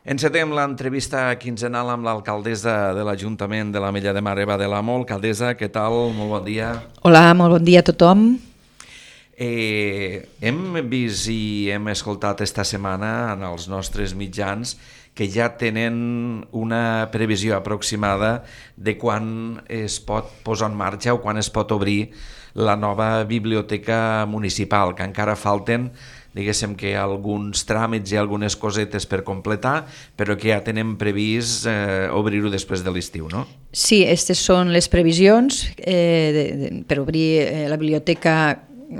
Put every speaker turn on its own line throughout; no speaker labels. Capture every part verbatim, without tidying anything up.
Encetem l'entrevista quinzenal amb l'alcaldessa de l'Ajuntament de l'Ametlla de Mar, Eva de l'Amo. Alcaldessa, què tal? Molt bon dia.
Hola, molt bon dia a tothom.
Eh, hem vist i hem escoltat esta setmana en els nostres mitjans que ja tenen una previsió aproximada de quan es pot posar en marxa o quan es pot obrir la nova biblioteca municipal, que encara falten, diguéssim que alguns tràmits i algunes cosetes per completar, però que ja tenen previst eh, obrir-ho després de l'estiu, no?
Sí, aquestes són les previsions eh, de, de, per obrir eh, la biblioteca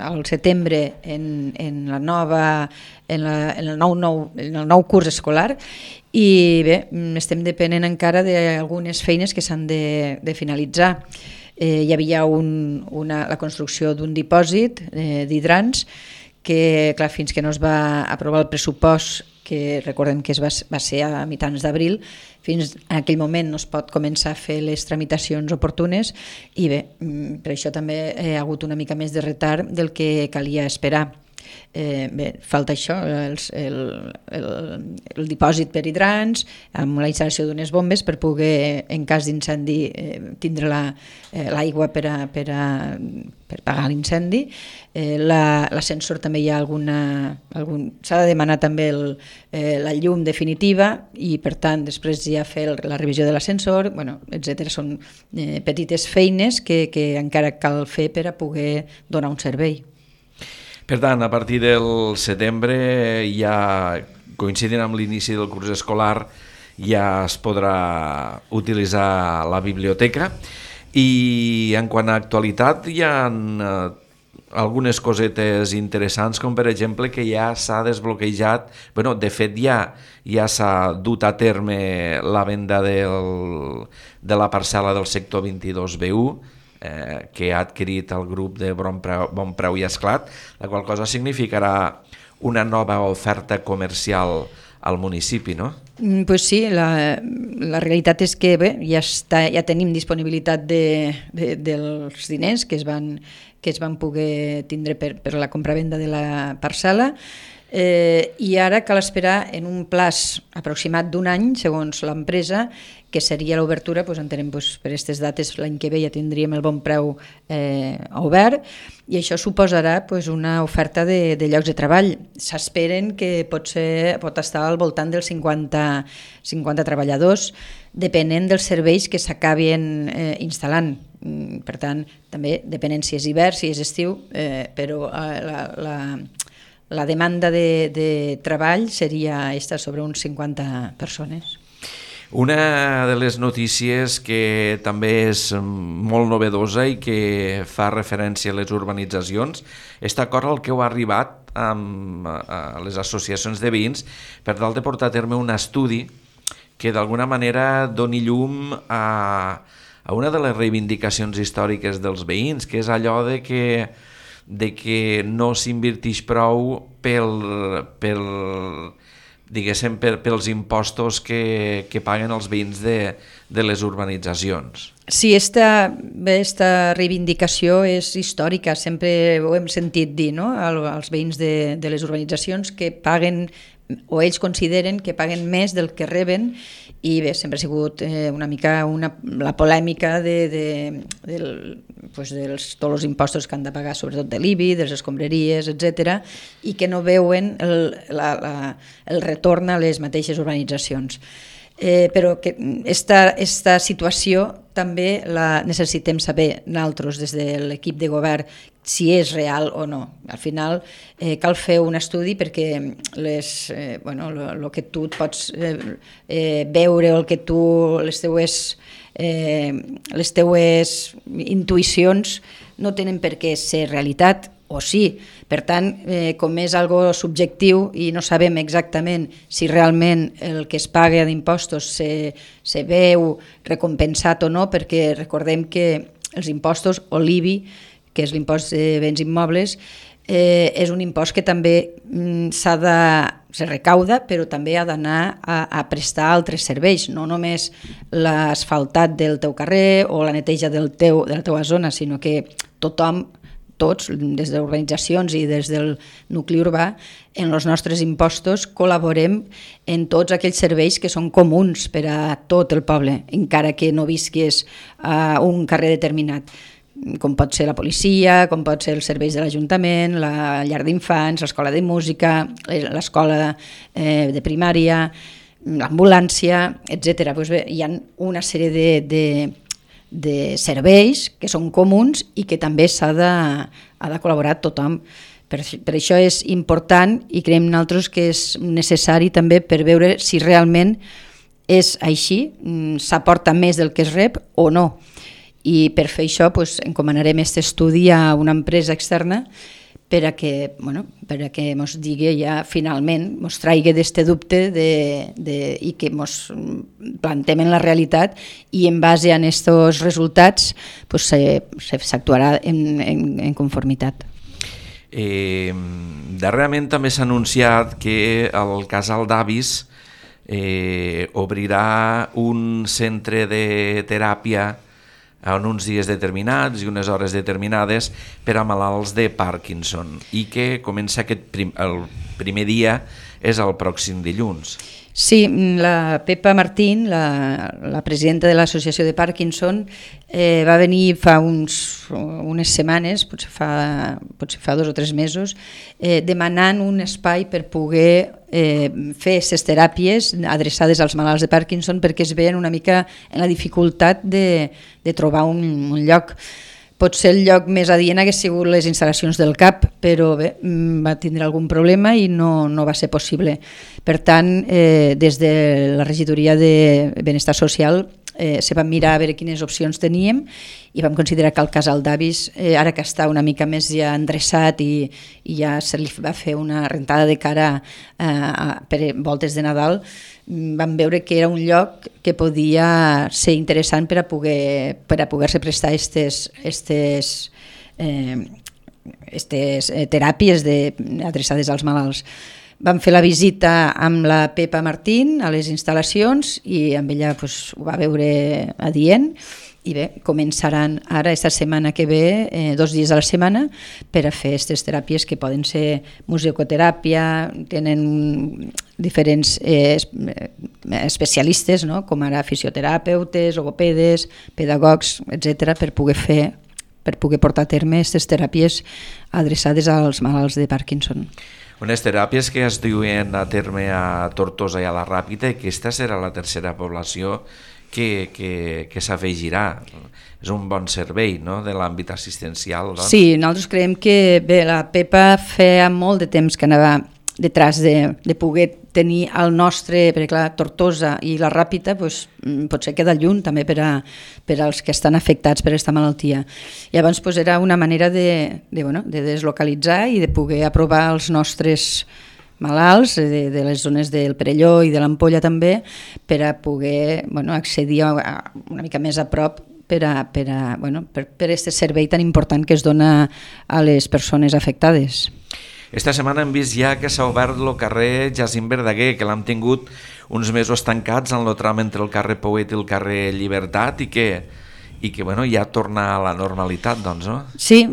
al setembre en, en, la nova, en, la, en, el nou, nou, en el nou curs escolar i bé, estem depenent encara d'algunes feines que s'han de, de finalitzar. Eh, hi havia un, una, la construcció d'un dipòsit eh, d'hidrants que, clar, fins que no es va aprovar el pressupost, que recordem que es va, va ser a mitjans d'abril, fins en aquell moment no es pot començar a fer les tramitacions oportunes i bé, per això també hi ha hagut una mica més de retard del que calia esperar. Eh, bé, falta això, el, el, el, el dipòsit per hidrants, amb la instal·lació d'unes bombes per poder, en cas d'incendi, eh, tindre l'aigua la, eh, per, a, per, a, per pagar l'incendi. Eh, l'ascensor també hi ha alguna... Algun, s'ha de demanar també el, eh, la llum definitiva i per tant després ja fer el, la revisió de l'ascensor, bueno, etcètera. Són eh, petites feines que, que encara cal fer per a poder donar un servei.
Per tant, a partir del setembre, ja coincidint amb l'inici del curs escolar, ja es podrà utilitzar la biblioteca. I en quant a actualitat, hi ha eh, algunes cosetes interessants, com per exemple que ja s'ha desbloquejat, bueno, de fet ja, ja s'ha dut a terme la venda del, de la parcel·la del sector vint-i-dos B u, Eh, que ha adquirit el grup de Bon Preu, bon Preu i Esclat, la qual cosa significarà una nova oferta comercial al municipi, no?
Mm, pues sí, la, la realitat és que bé, ja, està, ja tenim disponibilitat de, de, dels diners que es van, que es van poder tindre per, per la compravenda de la parcel·la. Eh, i ara cal esperar en un plaç aproximat d'un any, segons l'empresa, que seria l'obertura, doncs entenem doncs, per aquestes dates l'any que ve ja tindríem el Bon Preu eh, obert i això suposarà doncs, una oferta de, de llocs de treball. S'esperen que pot, ser, pot estar al voltant dels cinquanta, cinquanta treballadors, depenent dels serveis que s'acabin eh, instal·lant. Per tant, també depenent si és hivern, si és estiu, eh, però eh, la, la La demanda de, de treball seria esta sobre uns cinquanta persones.
Una de les notícies que també és molt novedosa i que fa referència a les urbanitzacions és d'acord al que heu arribat amb a les associacions de veïns per tal de portar a terme un estudi que d'alguna manera doni llum a, a una de les reivindicacions històriques dels veïns, que és allò de que de que no s'inverteix prou pel, pel, diguéssim, per, pels impostos que, que paguen els veïns de, de les urbanitzacions.
Sí, esta, esta reivindicació és històrica, sempre ho hem sentit dir, no? als veïns de, de les urbanitzacions que paguen o ells consideren que paguen més del que reben i bé, sempre ha sigut eh, una mica una, la polèmica de, de, del, pues dels, tots els impostos que han de pagar, sobretot de l'I B I, de les escombraries, etcètera, i que no veuen el, la, la, el retorn a les mateixes urbanitzacions. Eh, però que esta, esta situació també la necessitem saber nosaltres des de l'equip de govern si és real o no. Al final eh, cal fer un estudi perquè les, eh, bueno, lo, lo que tu pots eh, eh, veure o el que tu, les teues, eh, les teues intuïcions no tenen per què ser realitat o sí. Per tant, eh, com és algo subjectiu i no sabem exactament si realment el que es paga d'impostos se, se veu recompensat o no, perquè recordem que els impostos o l'I B I, que és l'impost de béns immobles, eh, és un impost que també mm, s'ha de, se recauda, però també ha d'anar a, a prestar altres serveis, no només l'asfaltat del teu carrer o la neteja del teu, de la teva zona, sinó que tothom tots, des de organitzacions i des del nucli urbà, en els nostres impostos col·laborem en tots aquells serveis que són comuns per a tot el poble, encara que no visquis a un carrer determinat, com pot ser la policia, com pot ser els serveis de l'Ajuntament, la llar d'infants, l'escola de música, l'escola eh, de primària, l'ambulància, etcètera. Pues bé, hi ha una sèrie de, de, de serveis que són comuns i que també s'ha de, ha de col·laborar tothom. Per, per això és important i creiem nosaltres que és necessari també per veure si realment és així, s'aporta més del que es rep o no. I per fer això pues, encomanarem aquest estudi a una empresa externa per a que, bueno, per a que mos digui ja finalment, mos traigui d'aquest dubte de, de, i que mos plantem en la realitat i en base a aquests resultats pues, s'actuarà en, en, en conformitat.
Eh, darrerament també s'ha anunciat que el casal d'avis eh, obrirà un centre de teràpia en uns dies determinats i unes hores determinades per a malalts de Parkinson i que comença aquest prim, el primer dia és el pròxim dilluns.
Sí, la Pepa Martín, la, la presidenta de l'Associació de Parkinson, eh, va venir fa uns, unes setmanes, potser fa, potser fa dos o tres mesos, eh, demanant un espai per poder eh, fer aquestes teràpies adreçades als malalts de Parkinson perquè es veien una mica en la dificultat de, de trobar un, un lloc. Potser el lloc més adient hagués sigut les instal·lacions del C A P, però bé, va tindre algun problema i no, no va ser possible. Per tant, eh, des de la regidoria de Benestar Social eh, se van mirar a veure quines opcions teníem i vam considerar que el casal d'avis, eh, ara que està una mica més ja endreçat i, i ja se li va fer una rentada de cara eh, per voltes de Nadal, vam veure que era un lloc que podia ser interessant per a poder per a poder-se prestar aquestes estes, eh, estes teràpies de, adreçades als malalts. Vam fer la visita amb la Pepa Martín a les instal·lacions i amb ella pues, ho va veure adient i bé, començaran ara, esta setmana que ve, eh, dos dies a la setmana, per a fer aquestes teràpies que poden ser musicoteràpia, tenen diferents eh, especialistes, no? Com ara fisioterapeutes, logopedes, pedagogs, etcètera, per poder fer, per poder portar a terme aquestes teràpies adreçades als malalts de Parkinson.
Unes teràpies que es duen a terme a Tortosa i a la Ràpita, i aquesta serà la tercera població que, que, que s'afegirà. És un bon servei, no?, de l'àmbit assistencial. Doncs.
Sí, nosaltres creiem que bé, la Pepa feia molt de temps que anava detrás de, de poder tenir el nostre, perquè clar, Tortosa i la Ràpita pues, potser queda lluny també per, a, per als que estan afectats per aquesta malaltia. Llavors pues, era una manera de, de, bueno, de deslocalitzar i de poder aprovar els nostres malalts de, de les zones del Perelló i de l'Ampolla també per a poder bueno, accedir a, a una mica més a prop per a, per a, bueno, per, per este servei tan important que es dona a les persones afectades.
Esta setmana hem vist ja que s'ha obert el carrer Jacint Verdaguer, que l'hem tingut uns mesos tancats en el tram entre el carrer Pouet i el carrer Llibertat i que, i que bueno, ja torna a la normalitat, doncs, no?
Sí,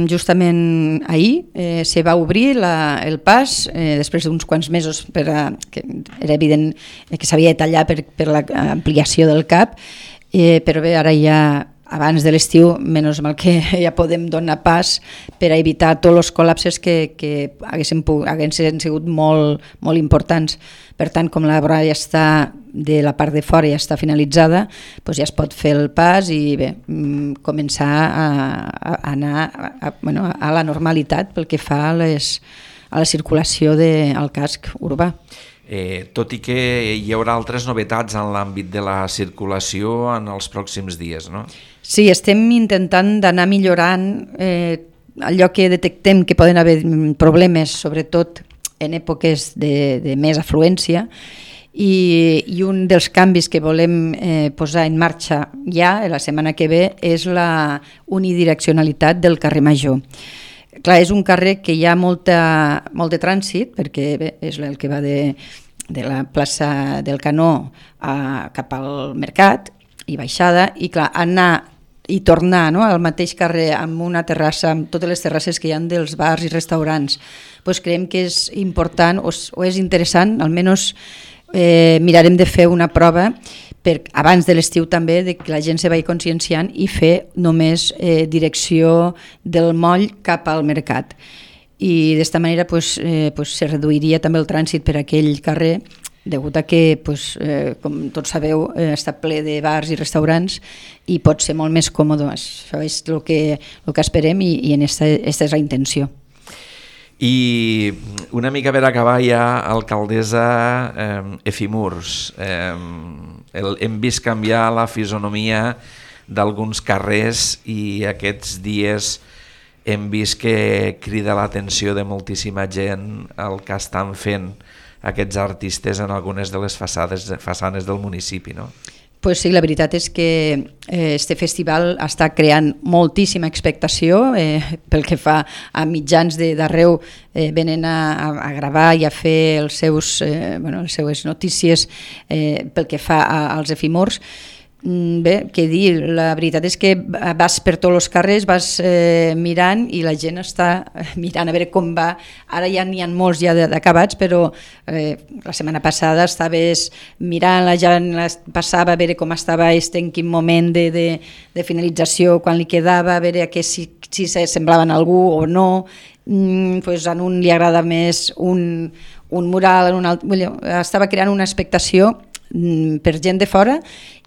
justament ahir eh, se va obrir la, el pas, eh, després d'uns quants mesos, per a, que era evident que s'havia de tallar per, per l'ampliació del C A P, eh, però bé, ara ja abans de l'estiu, menys mal que ja podem donar pas per a evitar tots els col·lapses que, que haguessin, haguessin sigut molt, molt importants. Per tant, com la vora ja està de la part de fora ja està finalitzada, doncs ja es pot fer el pas i bé, començar a, a anar a, a, bueno, a la normalitat pel que fa a, les, a la circulació del de, casc urbà.
Eh, tot i que hi haurà altres novetats en l'àmbit de la circulació en els pròxims dies, no?
Sí, estem intentant d'anar millorant eh, allò que detectem que poden haver problemes, sobretot en èpoques de, de més afluència, i, i un dels canvis que volem eh, posar en marxa ja la setmana que ve és la unidireccionalitat del carrer Major. Clar, és un carrer que hi ha molta, molt de trànsit, perquè bé, és el que va de, de la plaça del Canó a, cap al Mercat i baixada, i clar, anar i tornar, no?, al mateix carrer amb una terrassa, amb totes les terrasses que hi ha dels bars i restaurants, pues creiem que és important o, o és interessant, almenys eh, mirarem de fer una prova per, abans de l'estiu també, de que la gent se vagi conscienciant i fer només eh, direcció del moll cap al mercat. I d'esta manera pues, eh, pues, se reduiria també el trànsit per aquell carrer, degut a que, pues, eh, com tots sabeu, eh, està ple de bars i restaurants i pot ser molt més còmode. Això és el que, el que esperem i, i en esta, esta és la intenció.
I una mica per acabar ja, alcaldessa, eh, Efimurs, eh, el, hem vist canviar la fisonomia d'alguns carrers i aquests dies hem vist que crida l'atenció de moltíssima gent el que estan fent aquests artistes en algunes de les façades, façanes del municipi, no?
Pues sí, la veritat és que eh, este festival està creant moltíssima expectació, eh, pel que fa a mitjans d'arreu, eh, venen a, a gravar i a fer els seus, eh, bueno, les seues notícies eh, pel que fa a, als efimors. Bé, què dir, la veritat és que vas per tots els carrers, vas eh, mirant i la gent està mirant a veure com va. Ara ja n'hi ha molts ja d'acabats, però eh, la setmana passada estaves mirant, la gent passava a veure com estava este, en quin moment de, de, de finalització, quan li quedava, a veure que si, si semblaven a algú o no. Mm, pues a un li agrada més un, un mural, en un altre, estava creant una expectació per gent de fora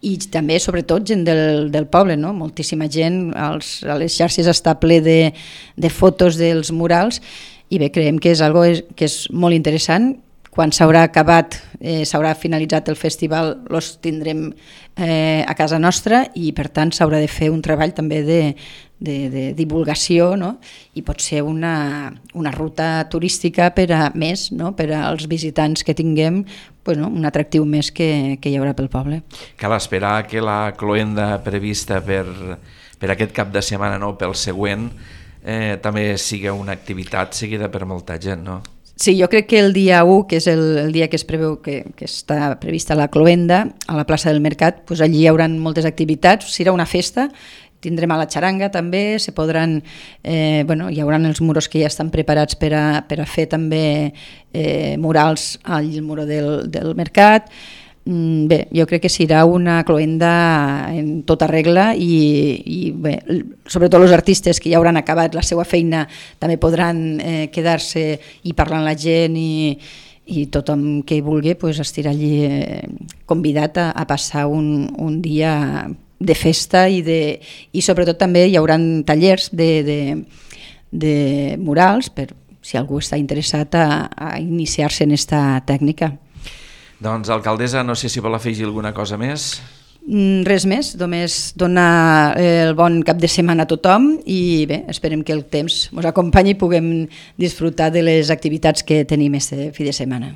i també sobretot gent del, del poble, no? Moltíssima gent, als, a les xarxes està ple de, de fotos dels murals i bé, creiem que és algo que és molt interessant. Quan s'haurà acabat, eh, s'haurà finalitzat el festival, els tindrem eh, a casa nostra i per tant s'haurà de fer un treball també de, de, de divulgació, no? I pot ser una, una ruta turística per a més, no? Per als visitants que tinguem, pues, no? Un atractiu més que, que hi haurà pel poble.
Cal esperar que la cloenda prevista per, per aquest cap de setmana, no? Pel següent, eh, també sigui una activitat seguida per molta gent, no?
Sí, jo crec que el dia u, que és el, el dia que es preveu que, que està prevista la cloenda a la plaça del Mercat, doncs allí hi haurà moltes activitats, serà una festa, tindrem a la xaranga també, se podran, eh, bueno, hi haurà els muros que ja estan preparats per a, per a fer també eh, murals al muro del, del Mercat. Bé, jo crec que serà una cloenda en tota regla i, i bé, sobretot els artistes que ja hauran acabat la seva feina també podran eh, quedar-se i parlar amb la gent i, i tothom que vulgui pues, estarà allí eh, convidat a, a passar un, un dia de festa i, de, i sobretot també hi haurà tallers de, de, de murals per si algú està interessat a, a iniciar-se en aquesta tècnica.
Doncs, alcaldessa, no sé si vol afegir alguna cosa més.
Res més, només donar el bon cap de setmana a tothom i bé, esperem que el temps ens acompanyi i puguem disfrutar de les activitats que tenim aquest fi de setmana.